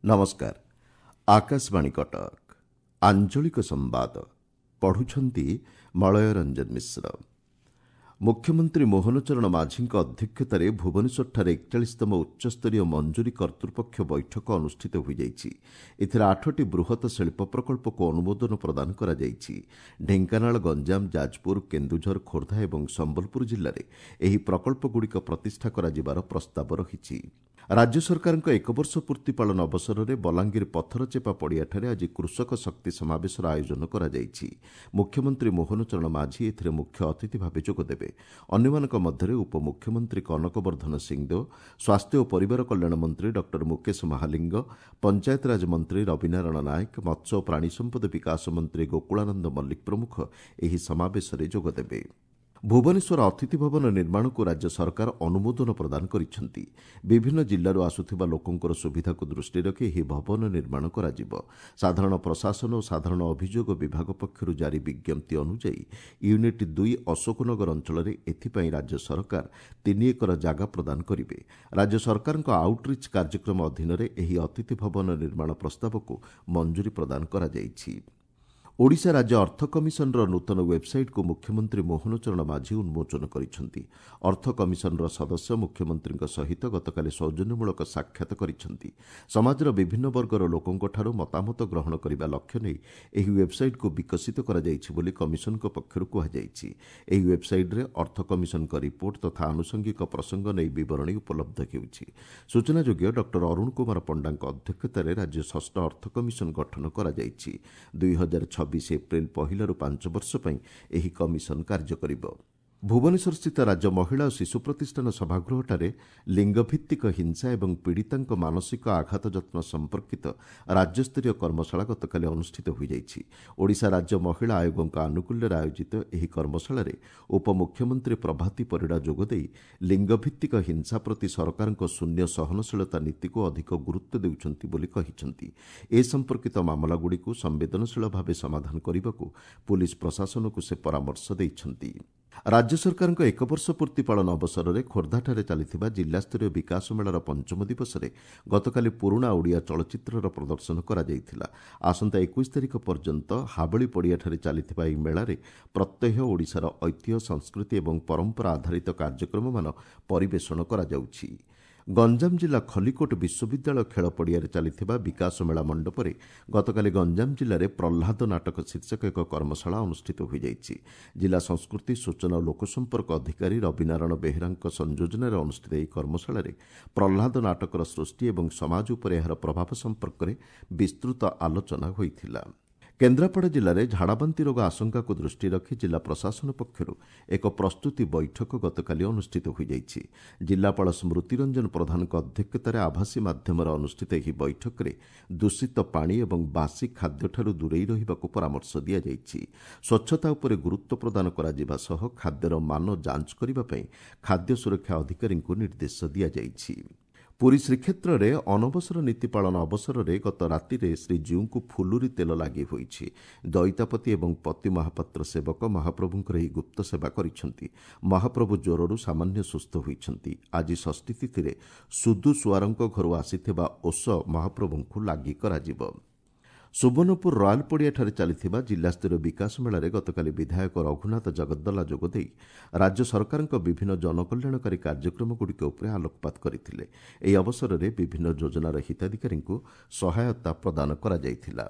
ନମସ୍କାର, ଆକାଶବାଣୀ କଟକ। ଆଞ୍ଚଳିକ ସମ୍ବାଦ ପଢ଼ୁଛନ୍ତି ମଳୟ ରଞ୍ଜନ ମିଶ୍ର। ମୁଖ୍ୟମନ୍ତ୍ରୀ ମୋହନ ଚରଣ ମାଝୀଙ୍କ ଅଧ୍ୟକ୍ଷତାରେ ଭୁବନେଶ୍ୱରଠାରେ 41ତମ ଉଚ୍ଚସ୍ତରୀୟ ମଞ୍ଜୁରୀ କର୍ତ୍ତୃପକ୍ଷ ବୈଠକ ଅନୁଷ୍ଠିତ ହୋଇଯାଇଛି। ଏଥିରେ 8ଟି ବୃହତ ଶିଳ୍ପ ପ୍ରକଳ୍ପକୁ ଅନୁମୋଦନ ପ୍ରଦାନ କରାଯାଇଛି। ଢେଙ୍କାନାଳ, ଗଞ୍ଜାମ, ଯାଜପୁର, କେନ୍ଦୁଝର, ଖୋର୍ଦ୍ଧା ଏବଂ ସମ୍ବଲପୁର ଜିଲ୍ଲାରେ ଏହି ପ୍ରକଳ୍ପଗୁଡ଼ିକ ପ୍ରତିଷ୍ଠା କରାଯିବାର ପ୍ରସ୍ତାବ ରହିଛି। ରାଜ୍ୟ ସରକାରଙ୍କ ଏକ ବର୍ଷ ପୂର୍ତ୍ତି ପାଳନ ଅବସରରେ ବଲାଙ୍ଗୀର ପଥରଚେପା ପଡ଼ିଆଠାରେ ଆଜି କୃଷକ ଶକ୍ତି ସମାବେଶର ଆୟୋଜନ କରାଯାଇଛି। ମୁଖ୍ୟମନ୍ତ୍ରୀ ମୋହନ ଚରଣ ମାଝୀ ଏଥିରେ ମୁଖ୍ୟ ଅତିଥି ଭାବେ ଯୋଗଦେବେ। ଅନ୍ୟମାନଙ୍କ ମଧ୍ୟରେ ଉପମୁଖ୍ୟମନ୍ତ୍ରୀ କନକ ବର୍ଦ୍ଧନ ସିଂଦେଓ, ସ୍ୱାସ୍ଥ୍ୟ ଓ ପରିବାର କଲ୍ୟାଣ ମନ୍ତ୍ରୀ ଡକ୍ଟର ମୁକେଶ ମହାଲିଙ୍ଗ, ପଞ୍ଚାୟତରାଜ ମନ୍ତ୍ରୀ ରବିନାରାୟଣ ନାୟକ, ମତ୍ସ୍ୟ ଓ ପ୍ରାଣୀ ସମ୍ପଦ ବିକାଶ ମନ୍ତ୍ରୀ ଗୋକୁଳାନନ୍ଦ ମଲ୍ଲିକ ପ୍ରମୁଖ ଏହି ସମାବେଶରେ ଯୋଗଦେବେ। ଭୁବନେଶ୍ୱର ଅତିଥି ଭବନ ନିର୍ମାଣକୁ ରାଜ୍ୟ ସରକାର ଅନୁମୋଦନ ପ୍ରଦାନ କରିଛନ୍ତି। ବିଭିନ୍ନ ଜିଲ୍ଲାରୁ ଆସୁଥିବା ଲୋକଙ୍କର ସୁବିଧାକୁ ଦୃଷ୍ଟିରେ ରଖି ଏହି ଭବନ ନିର୍ମାଣ କରାଯିବ। ସାଧାରଣ ପ୍ରଶାସନ ଓ ସାଧାରଣ ଅଭିଯୋଗ ବିଭାଗ ପକ୍ଷରୁ ଜାରି ବିଜ୍ଞପ୍ତି ଅନୁଯାୟୀ ୟୁନିଟ୍ 2 ଅଶୋକନଗର ଅଞ୍ଚଳରେ ଏଥିପାଇଁ ରାଜ୍ୟ ସରକାର 3 ଏକର ଜାଗା ପ୍ରଦାନ କରିବେ। ରାଜ୍ୟ ସରକାରଙ୍କ ଆଉଟରିଚ୍ କାର୍ଯ୍ୟକ୍ରମ ଅଧୀନରେ ଏହି ଅତିଥି ଭବନ ନିର୍ମାଣ ପ୍ରସ୍ତାବକୁ ମଞ୍ଜୁରୀ ପ୍ରଦାନ କରାଯାଇଛି। ଓଡ଼ିଶା ରାଜ୍ୟ ଅର୍ଥ କମିଶନର ନୂତନ ୱେବ୍ସାଇଟ୍କୁ ମୁଖ୍ୟମନ୍ତ୍ରୀ ମୋହନ ଚରଣ ମାଝୀ ଉନ୍ମୋଚନ କରିଛନ୍ତି। ଅର୍ଥ କମିଶନର ସଦସ୍ୟ ମୁଖ୍ୟମନ୍ତ୍ରୀଙ୍କ ସହିତ ଗତକାଲି ସୌଜନ୍ୟମୂଳକ ସାକ୍ଷାତ କରିଛନ୍ତି। ସମାଜର ବିଭିନ୍ନ ବର୍ଗର ଲୋକଙ୍କଠାରୁ ମତାମତ ଗ୍ରହଣ କରିବା ଲକ୍ଷ୍ୟ ନେଇ ଏହି ୱେବ୍ସାଇଟ୍କୁ ବିକଶିତ କରାଯାଇଛି ବୋଲି କମିଶନଙ୍କ ପକ୍ଷରୁ କୁହାଯାଇଛି। ଏହି ୱେବ୍ସାଇଟ୍ରେ ଅର୍ଥ କମିଶନଙ୍କ ରିପୋର୍ଟ ତଥା ଆନୁଷଙ୍ଗିକ ପ୍ରସଙ୍ଗ ନେଇ ବିବରଣୀ ଉପଲବ୍ଧ ହେଉଛି। ସୂଚନାଯୋଗ୍ୟ, ଡକ୍ଟର ଅରୁଣ କୁମାର ପଣ୍ଡାଙ୍କ ଅଧ୍ୟକ୍ଷତାରେ ରାଜ୍ୟ ଷଷ୍ଠ ଅର୍ଥ କମିଶନ ଗଠନ କରାଯାଇଛି। 2026 ଏପ୍ରିଲ 1ରୁ 5 ବର୍ଷ ପାଇଁ ଏହି କମିଶନ କାର୍ଯ୍ୟ କରିବ। ଭୁବନେଶ୍ୱରସ୍ଥିତ ରାଜ୍ୟ ମହିଳା ଓ ଶିଶୁ ପ୍ରତିଷ୍ଠାନ ସଭାଗୃହଠାରେ ଲିଙ୍ଗଭିତ୍ତିକ ହିଂସା ଏବଂ ପୀଡ଼ିତାଙ୍କ ମାନସିକ ଆଘାତ ଯତ୍ନ ସମ୍ପର୍କିତ ରାଜ୍ୟସ୍ତରୀୟ କର୍ମଶାଳା ଗତକାଲି ଅନୁଷ୍ଠିତ ହୋଇଯାଇଛି। ଓଡ଼ିଶା ରାଜ୍ୟ ମହିଳା ଆୟୋଗଙ୍କ ଆନୁକୂଲ୍ୟରେ ଆୟୋଜିତ ଏହି କର୍ମଶାଳାରେ ଉପମୁଖ୍ୟମନ୍ତ୍ରୀ ପ୍ରଭାତୀ ପରିଡ଼ା ଯୋଗଦେଇ ଲିଙ୍ଗଭିତ୍ତିକ ହିଂସା ପ୍ରତି ସରକାରଙ୍କ ଶୂନ୍ୟ ସହନଶୀଳତା ନୀତିକୁ ଅଧିକ ଗୁରୁତ୍ୱ ଦେଉଛନ୍ତି ବୋଲି କହିଛନ୍ତି। ଏ ସମ୍ପର୍କିତ ମାମଲାଗୁଡ଼ିକୁ ସମ୍ବେଦନଶୀଳ ଭାବେ ସମାଧାନ କରିବାକୁ ପୁଲିସ୍ ପ୍ରଶାସନକୁ ସେ ପରାମର୍ଶ ଦେଇଛନ୍ତି। ରାଜ୍ୟ ସରକାରଙ୍କ ଏକ ବର୍ଷ ପୂର୍ତ୍ତି ପାଳନ ଅବସରରେ ଖୋର୍ଦ୍ଧାଠାରେ ଚାଲିଥିବା ଜିଲ୍ଲାସ୍ତରୀୟ ବିକାଶ ମେଳାର ପଞ୍ଚମ ଦିବସରେ ଗତକାଲି ପୁରୁଣା ଓଡ଼ିଆ ଚଳଚ୍ଚିତ୍ରର ପ୍ରଦର୍ଶନ କରାଯାଇଥିଲା। ଆସନ୍ତା 21 ତାରିଖ ପର୍ଯ୍ୟନ୍ତ ହାବଳି ପଡ଼ିଆଠାରେ ଚାଲିଥିବା ଏହି ମେଳାରେ ପ୍ରତ୍ୟହ ଓଡ଼ିଶାର ଐତିହ୍ୟ, ସଂସ୍କୃତି ଏବଂ ପରମ୍ପରା ଆଧାରିତ କାର୍ଯ୍ୟକ୍ରମମାନ ପରିବେଷଣ କରାଯାଉଛି। ଗଞ୍ଜାମ ଜିଲ୍ଲା ଖଲିକୋଟ ବିଶ୍ୱବିଦ୍ୟାଳୟ ଖେଳ ପଡ଼ିଆରେ ଚାଲିଥିବା ବିକାଶ ମେଳା ମଣ୍ଡପରେ ଗତକାଲି ଗଞ୍ଜାମ ଜିଲ୍ଲାରେ ପ୍ରହ୍ଲାଦ ନାଟକ ଶୀର୍ଷକ ଏକ କର୍ମଶାଳା ଅନୁଷ୍ଠିତ ହୋଇଯାଇଛି। ଜିଲ୍ଲା ସଂସ୍କୃତି, ସୂଚନା ଓ ଲୋକସମ୍ପର୍କ ଅଧିକାରୀ ରବିନାରାୟଣ ବେହେରାଙ୍କ ସଂଯୋଜନାରେ ଅନୁଷ୍ଠିତ ଏହି କର୍ମଶାଳାରେ ପ୍ରହ୍ଲାଦ ନାଟକର ସୃଷ୍ଟି ଏବଂ ସମାଜ ଉପରେ ଏହାର ପ୍ରଭାବ ସମ୍ପର୍କରେ ବିସ୍ତୃତ ଆଲୋଚନା ହୋଇଥିଲା। କେନ୍ଦ୍ରାପଡ଼ା ଜିଲ୍ଲାରେ ଝାଡ଼ାବାନ୍ତି ରୋଗ ଆଶଙ୍କାକୁ ଦୃଷ୍ଟିରେ ରଖି ଜିଲ୍ଲା ପ୍ରଶାସନ ପକ୍ଷରୁ ଏକ ପ୍ରସ୍ତୁତି ବୈଠକ ଗତକାଲି ଅନୁଷ୍ଠିତ ହୋଇଯାଇଛି। ଜିଲ୍ଲାପାଳ ସ୍ମୃତିରଞ୍ଜନ ପ୍ରଧାନଙ୍କ ଅଧ୍ୟକ୍ଷତାରେ ଆଭାସୀ ମାଧ୍ୟମରେ ଅନୁଷ୍ଠିତ ଏହି ବୈଠକରେ ଦୂଷିତ ପାଣି ଏବଂ ବାସି ଖାଦ୍ୟଠାରୁ ଦୂରେଇ ରହିବାକୁ ପରାମର୍ଶ ଦିଆଯାଇଛି। ସ୍ୱଚ୍ଛତା ଉପରେ ଗୁରୁତ୍ୱ ପ୍ରଦାନ କରାଯିବା ସହ ଖାଦ୍ୟର ମାନ ଯାଞ୍ଚ କରିବା ପାଇଁ ଖାଦ୍ୟ ସୁରକ୍ଷା ଅଧିକାରୀଙ୍କୁ ନିର୍ଦ୍ଦେଶ ଦିଆଯାଇଛି। ପୁରୀ ଶ୍ରୀକ୍ଷେତ୍ରରେ ଅନବସର ନୀତି ପାଳନ ଅବସରରେ ଗତ ରାତିରେ ଶ୍ରୀଜୀଉଙ୍କୁ ଫୁଲୁରି ତେଲ ଲାଗି ହୋଇଛି। ଦଇତାପତି ଏବଂ ପତି ମହାପାତ୍ର ସେବକ ମହାପ୍ରଭୁଙ୍କର ଏହି ଗୁପ୍ତ ସେବା କରିଛନ୍ତି। ମହାପ୍ରଭୁ ଜ୍ୱରରୁ ସାମାନ୍ୟ ସୁସ୍ଥ ହୋଇଛନ୍ତି। ଆଜି ଷଷ୍ଠୀ ତିଥିରେ ସୁଦୁ ସୁଆରଙ୍କ ଘରୁ ଆସିଥିବା ଓଷ ମହାପ୍ରଭୁଙ୍କୁ ଲାଗି କରାଯିବ। ସୁବର୍ଣ୍ଣପୁର ରୟାଲ ପଡ଼ିଆଠାରେ ଚାଲିଥିବା ଜିଲ୍ଲାସ୍ତରୀୟ ବିକାଶ ମେଳାରେ ଗତକାଲି ବିଧାୟକ ରଘୁନାଥ ଜଗଦ୍ଦଲା ଯୋଗଦେଇ ରାଜ୍ୟ ସରକାରଙ୍କ ବିଭିନ୍ନ ଜନକଲ୍ୟାଣକାରୀ କାର୍ଯ୍ୟକ୍ରମଗୁଡ଼ିକ ଉପରେ ଆଲୋକପାତ କରିଥିଲେ। ଏହି ଅବସରରେ ବିଭିନ୍ନ ଯୋଜନାର ହିତାଧିକାରୀଙ୍କୁ ସହାୟତା ପ୍ରଦାନ କରାଯାଇଥିଲା।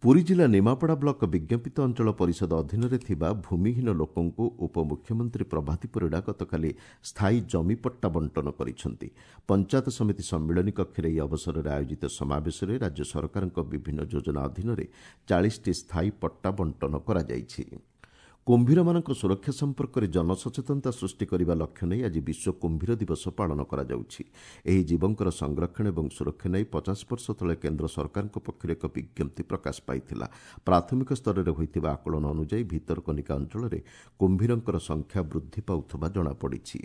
ପୁରୀ ଜିଲ୍ଲା ନିମାପଡ଼ା ବ୍ଲକ ବିଜ୍ଞାପିତ ଅଞ୍ଚଳ ପରିଷଦ ଅଧୀନରେ ଥିବା ଭୂମିହୀନ ଲୋକଙ୍କୁ ଉପମୁଖ୍ୟମନ୍ତ୍ରୀ ପ୍ରଭାତୀ ପରିଡ଼ା ଗତକାଲି ସ୍ଥାୟୀ ଜମିପଟ୍ଟା ବଣ୍ଟନ କରିଛନ୍ତି। ପଞ୍ଚାୟତ ସମିତି ସମ୍ମିଳନୀ କକ୍ଷରେ ଏହି ଅବସରରେ ଆୟୋଜିତ ସମାବେଶରେ ରାଜ୍ୟ ସରକାରଙ୍କ ବିଭିନ୍ନ ଯୋଜନା ଅଧୀନରେ 40ଟି ସ୍ଥାୟୀ ପଟ୍ଟା ବଣ୍ଟନ କରାଯାଇଛି। କୁମ୍ଭୀରମାନଙ୍କ ସୁରକ୍ଷା ସମ୍ପର୍କରେ ଜନସଚେତନତା ସୃଷ୍ଟି କରିବା ଲକ୍ଷ୍ୟ ନେଇ ଆଜି ବିଶ୍ୱ କୁମ୍ଭୀର ଦିବସ ପାଳନ କରାଯାଉଛି। ଏହି ଜୀବଙ୍କର ସଂରକ୍ଷଣ ଏବଂ ସୁରକ୍ଷା ନେଇ 50 ବର୍ଷ ତଳେ କେନ୍ଦ୍ର ସରକାରଙ୍କ ପକ୍ଷରୁ ଏକ ବିଜ୍ଞପ୍ତି ପ୍ରକାଶ ପାଇଥିଲା। ପ୍ରାଥମିକ ସ୍ତରରେ ହୋଇଥିବା ଆକଳନ ଅନୁଯାୟୀ ଭିତରକନିକା ଅଞ୍ଚଳରେ କୁମ୍ଭୀରଙ୍କର ସଂଖ୍ୟା ବୃଦ୍ଧି ପାଉଥିବା ଜଣାପଡ଼ିଛି।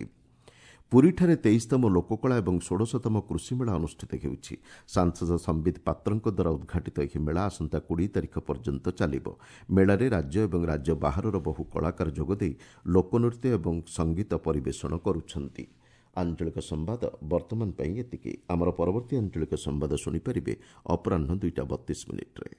ପୁରୀଠାରେ 23ତମ ଲୋକକଳା ଏବଂ 16ତମ କୃଷିମେଳା ଅନୁଷ୍ଠିତ ହେଉଛି। ସାଂସଦ ସମ୍ବିତ ପାତ୍ରଙ୍କ ଦ୍ୱାରା ଉଦ୍ଘାଟିତ ଏହି ମେଳା ଆସନ୍ତା 20 ତାରିଖ ପର୍ଯ୍ୟନ୍ତ ଚାଲିବ। ମେଳାରେ ରାଜ୍ୟ ଏବଂ ରାଜ୍ୟ ବାହାରର ବହୁ କଳାକାର ଯୋଗଦେଇ ଲୋକନୃତ୍ୟ ଏବଂ ସଙ୍ଗୀତ ପରିବେଷଣ କରୁଛନ୍ତି। ଆଞ୍ଚଳିକ ସମ୍ବାଦ ବର୍ତ୍ତମାନ ପାଇଁ ଏତିକି। ଆମର ପରବର୍ତ୍ତୀ ଆଞ୍ଚଳିକ ସମ୍ବାଦ ଶୁଣିପାରିବେ ଅପରାହ୍ନ 2ଟା 32 ମିନିଟ୍ରେ।